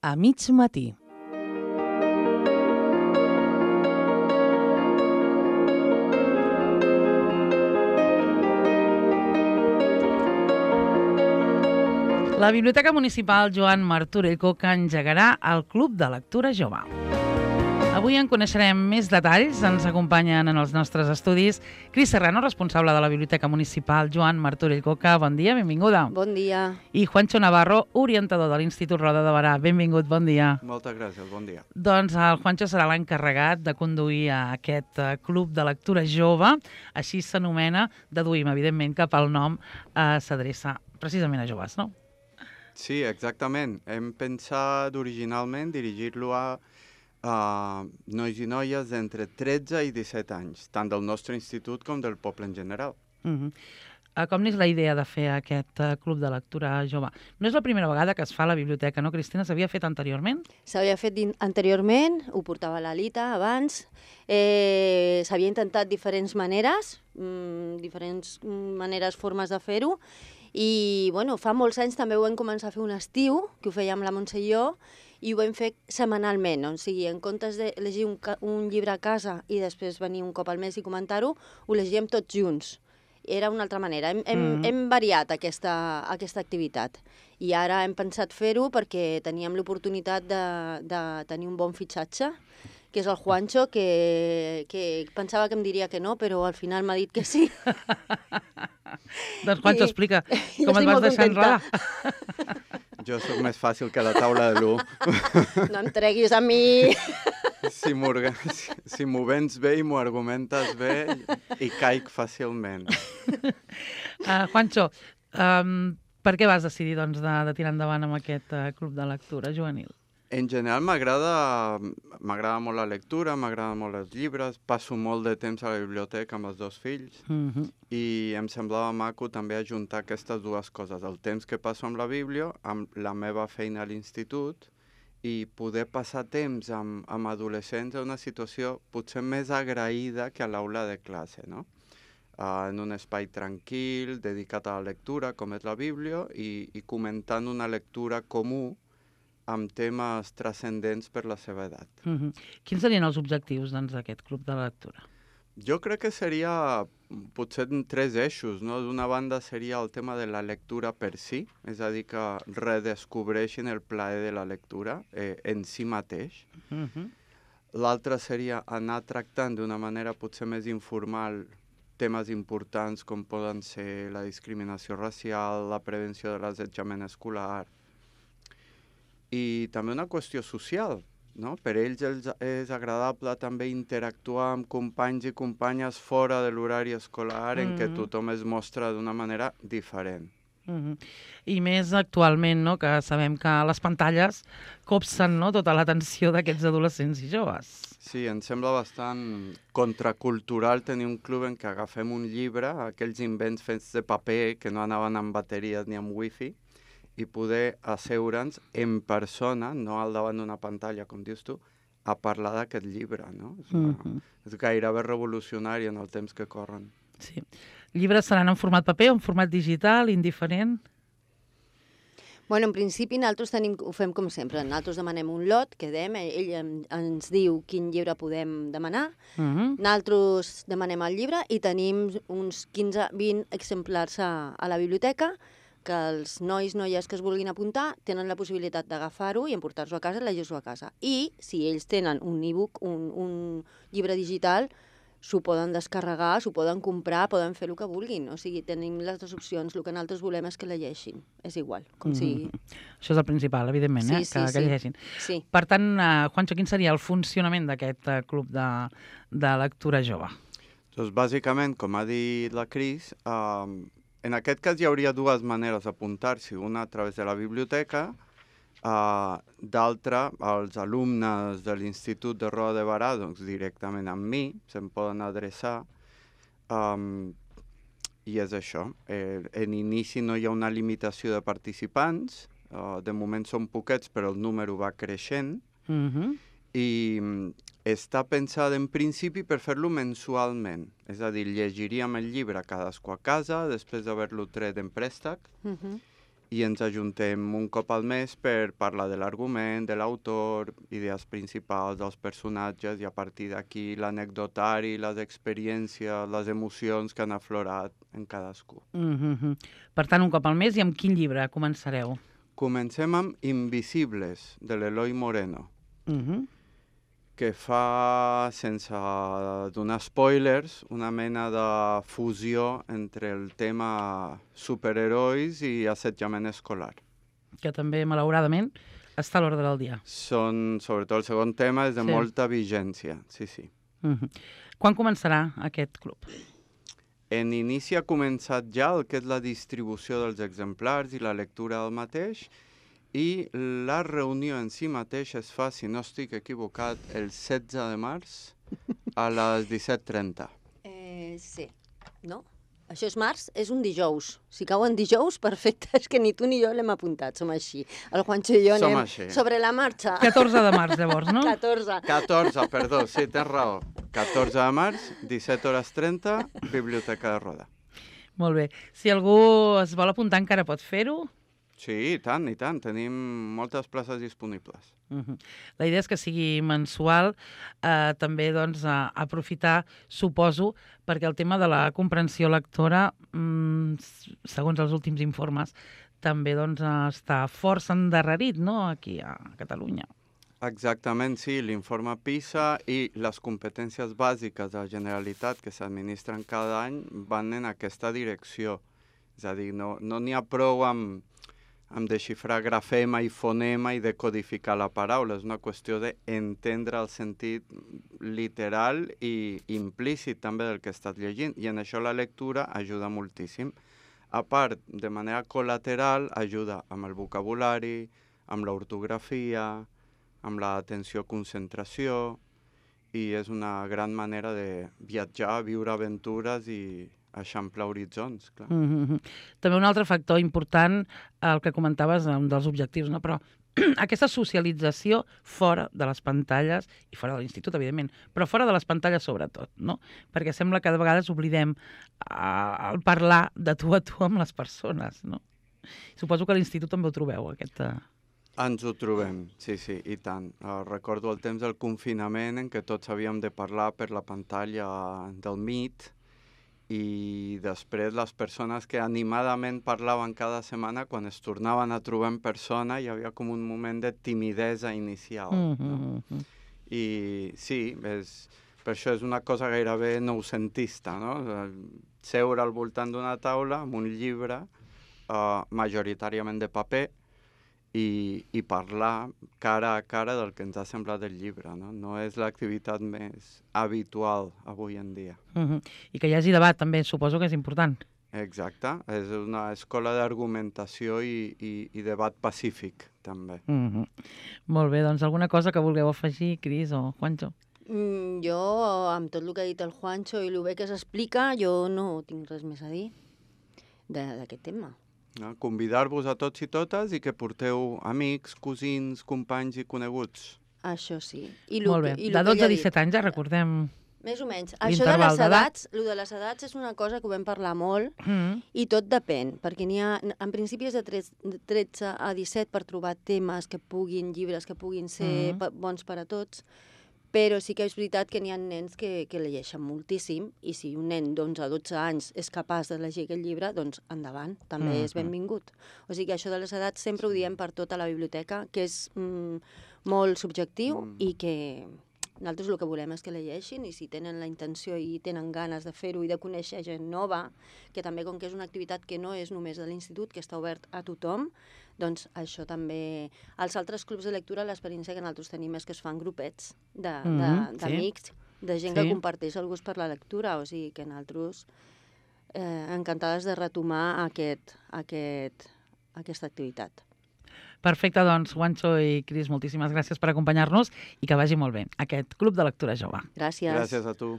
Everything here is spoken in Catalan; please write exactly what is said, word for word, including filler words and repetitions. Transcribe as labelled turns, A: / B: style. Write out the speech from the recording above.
A: a mig matí. La Biblioteca Municipal Joan Martorell Coca engegarà el Club de Lectura Jove. Avui en coneixerem més detalls. Ens acompanyen en els nostres estudis Cris Serrano, responsable de la Biblioteca Municipal Joan Martorell Coca. Bon dia, benvinguda.
B: Bon dia.
A: I Juancho Navarro, orientador de l'Institut Roda de Barà. Benvingut, bon dia.
C: Moltes gràcies, bon dia.
A: Doncs el Juancho serà l'encarregat de conduir aquest Club de Lectura Jove. Així s'anomena, deduïm, evidentment, que pel nom eh, s'adreça precisament a joves, no?
C: Sí, exactament. Hem pensat originalment dirigir-lo a uh, nois i noies d'entre tretze i disset anys, tant del nostre institut com del poble en general.
A: Uh-huh. uh, com n'és la idea de fer aquest uh, club de lectura jove? No és la primera vegada que es fa a la biblioteca, no, Cristina? S'havia fet anteriorment?
B: S'havia fet anteriorment, ho portava l'Alita abans. Eh, S'havia intentat diferents maneres, mm, diferents maneres, formes de fer-ho. I bueno, fa molts anys també ho vam començar a fer un estiu, que ho fèiem la Montse i jo, i ho vam fer setmanalment, o sigui, en comptes de llegir un, un llibre a casa i després venir un cop al mes i comentar-ho, ho llegíem tots junts. Era una altra manera. Hem, hem, mm. hem variat aquesta, aquesta activitat. I ara hem pensat fer-ho perquè teníem l'oportunitat de, de tenir un bon fitxatge, que és el Juancho, que, que pensava que em diria que no, però al final m'ha dit que sí.
A: Doncs Juancho, explica com et vas deixar enredar.
C: Jo sóc més fàcil que la taula de l'u.
B: No em treguis a mi.
C: Si m'ho si vens bé i m'ho argumentes bé, i caic fàcilment.
A: Uh, Juancho, um, per què vas decidir doncs, de, de tirar endavant amb aquest uh, club de lectura juvenil?
C: En general m'agrada m'agrada molt la lectura, m'agraden molt els llibres, passo molt de temps a la biblioteca amb els dos fills
A: uh-huh.
C: i em semblava maco també ajuntar aquestes dues coses, el temps que passo amb la Bíblia, amb la meva feina a l'institut i poder passar temps amb, amb adolescents en una situació potser més agraïda que a l'aula de classe, no? Uh, en un espai tranquil, dedicat a la lectura, com és la Bíblia, i, i comentant una lectura comú amb temes transcendents per la seva edat.
A: Uh-huh. Quins serien els objectius doncs, d'aquest club de lectura?
C: Jo crec que seria potser en tres eixos, no? D'una banda seria el tema de la lectura per si, és a dir, que redescobreixin el plaer de la lectura eh, en si mateix.
A: Uh-huh. L'altre
C: seria anar tractant d'una manera potser més informal temes importants com poden ser la discriminació racial, la prevenció de l'assetjament escolar, i també una qüestió social, no? Per ells és agradable també interactuar amb companys i companyes fora de l'horari escolar mm-hmm. en què tothom es mostra d'una manera diferent.
A: Mm-hmm. I més actualment, no? Que sabem que les pantalles copsen, no? Tota l'atenció d'aquests adolescents i joves.
C: Sí, em sembla bastant contracultural tenir un club en què agafem un llibre, aquells invents fets de paper que no anaven amb bateries ni amb wifi, i poder asseure'ns en persona, no al davant d'una pantalla, com dius tu, a parlar d'aquest llibre, no? És, una, mm-hmm. és gairebé revolucionari en el temps que corren.
A: Sí. Llibres seran en format paper o en format digital, indiferent?
B: Bueno, en principi nosaltres tenim, ho fem com sempre. Nosaltres demanem un lot, quedem, ell ens diu quin llibre podem demanar,
A: mm-hmm.
B: nosaltres demanem el llibre i tenim uns quinze vint exemplars a, a la biblioteca, que els nois, noies que es vulguin apuntar tenen la possibilitat d'agafar-ho i emportar-lo a casa i llegir-lo a casa. I si ells tenen un e-book, un, un llibre digital, s'ho poden descarregar, s'ho poden comprar, poden fer el que vulguin. O sigui, tenim les dues opcions. El que nosaltres volem és que llegeixin. És igual, com
A: mm-hmm.
B: sigui.
A: Això és el principal, evidentment,
B: sí,
A: eh?
B: sí,
A: que,
B: sí.
A: que llegeixin.
B: Sí.
A: Per tant, uh, Juancho, quin seria el funcionament d'aquest uh, club de, de lectura jove?
C: Doncs bàsicament, com ha dit la Cris, uh, en aquest cas hi hauria dues maneres d'apuntar-s'hi, una a través de la biblioteca, uh, d'altra, els alumnes de l'Institut de Roda de Barà, doncs directament amb mi, se'n poden adreçar, um, i és això. Eh, en inici no hi ha una limitació de participants, uh, de moment són poquets, però el número va creixent,
A: Mm-hmm.
C: i està pensada en principi per fer-lo mensualment. És a dir, llegiríem el llibre cadascú a casa, després d'haver-lo tret en préstec,
B: Uh-huh.
C: i ens ajuntem un cop al mes per parlar de l'argument, de l'autor, idees principals dels personatges, i a partir d'aquí l'anecdotari, les experiències, les emocions que han aflorat en cadascú.
A: Mm-hmm. Per tant, un cop al mes, i amb quin llibre començareu?
C: Comencem amb Invisibles, de l'Eloi Moreno,
A: Mm-hmm.
C: que fa, sense donar spoilers, una mena de fusió entre el tema superherois i assetjament escolar.
A: Que també, malauradament, està a l'ordre del dia.
C: Són, sobretot el segon tema, és de
A: Sí.
C: molta vigència, sí, sí.
A: Mm-hmm. Quan començarà aquest club?
C: En inici ha començat ja el que és la distribució dels exemplars i la lectura del mateix, i la reunió en si mateix es fa, si no estic equivocat, el setze de març a les disset trenta.
B: Eh, sí, no? Això és març, és un dijous. Si cau en dijous, perfecte, és que ni tu ni jo l'hem apuntat, som així. El Juancho i jo
C: Som
B: anem
C: així.
B: sobre la marxa.
A: catorze de març, llavors, no?
B: catorze.
C: catorze, perdó, sí, tens raó. catorze de març, disset hores trenta, Biblioteca de Roda.
A: Molt bé. Si algú es vol apuntar encara pot fer-ho.
C: Sí, i tant, i tant. Tenim moltes places disponibles.
A: Uh-huh. La idea és que sigui mensual, eh, també doncs, a, aprofitar, suposo, perquè el tema de la comprensió lectora, mm, segons els últims informes, també doncs, està força endarrerit, no?, aquí a Catalunya.
C: Exactament, sí. L'informe PISA i les competències bàsiques de la Generalitat que s'administren cada any van en aquesta direcció. És a dir, no n'hi no ha prou amb, amb desxifrar grafema i fonema i decodificar la paraula. És una qüestió d'entendre el sentit literal i implícit també del que estàs llegint. I en això la lectura ajuda moltíssim. A part, de manera col·lateral, ajuda amb el vocabulari, amb l'ortografia, amb l'atenció-concentració, i és una gran manera de viatjar, viure aventures i eixamplar horitzons, clar.
A: Mm-hmm. També un altre factor important, el que comentaves, un dels objectius, no? Però aquesta socialització fora de les pantalles, i fora de l'institut, evidentment, però fora de les pantalles sobretot, no? Perquè sembla que de vegades oblidem uh, el parlar de tu a tu amb les persones, no? Suposo que a l'institut també ho trobeu, aquesta...
C: Ens ho trobem, sí, sí, i tant. Uh, recordo el temps del confinament en què tots havíem de parlar per la pantalla del Meet, i després les persones que animadament parlaven cada setmana, quan es tornaven a trobar en persona, hi havia com un moment de timidesa inicial.
A: Mm-hmm.
C: No? I sí, és, per això és una cosa gairebé noucentista, no? Seure al voltant d'una taula amb un llibre, uh, majoritàriament de paper, I, i parlar cara a cara del que ens ha semblat el llibre, no? No és l'activitat més habitual avui en dia.
A: Uh-huh. I que hi hagi debat també, suposo que és important.
C: Exacte, és una escola d'argumentació i, i, i debat pacífic, també.
A: Uh-huh. Molt bé, doncs alguna cosa que vulgueu afegir, Cris o Juancho?
B: Mm, jo, amb tot el que ha dit el Juancho i el bé que s'explica, jo no tinc res més a dir d'aquest tema.
C: No? Convidar-vos a tots i totes i que porteu amics, cosins, companys i coneguts.
B: Això sí. I
A: Molt bé.
B: Que, i
A: de dotze a disset anys, ja recordem...
B: Més o menys. Això de les edats, el de les edats és una cosa que ho vam parlar molt,
A: mm.
B: i tot depèn, perquè n'hi ha, en principi és de tretze a disset per trobar temes que puguin, llibres que puguin ser mm. bons per a tots, però sí que és veritat que n'hi ha nens que, que llegeixen moltíssim, i si un nen d'onze a dotze anys és capaç de llegir aquest llibre, doncs endavant, també mm-hmm. és benvingut. O sigui que això de les edats sempre ho diem per tota la biblioteca, que és mm, molt subjectiu mm. i que nosaltres el que volem és que llegeixin, i si tenen la intenció i tenen ganes de fer-ho i de conèixer gent nova, que també com que és una activitat que no és només de l'institut, que està obert a tothom, doncs això també... Als altres clubs de lectura l'experiència que nosaltres tenim és que es fan grupets d'amics, de, de, de gent sí. que comparteix el gust per la lectura, o sigui que nosaltres eh, encantades de retomar aquest, aquest, aquesta activitat.
A: Perfecte, doncs, Juancho i Cris, moltíssimes gràcies per acompanyar-nos i que vagi molt bé aquest Club de Lectura Jove.
B: Gràcies.
C: Gràcies a tu.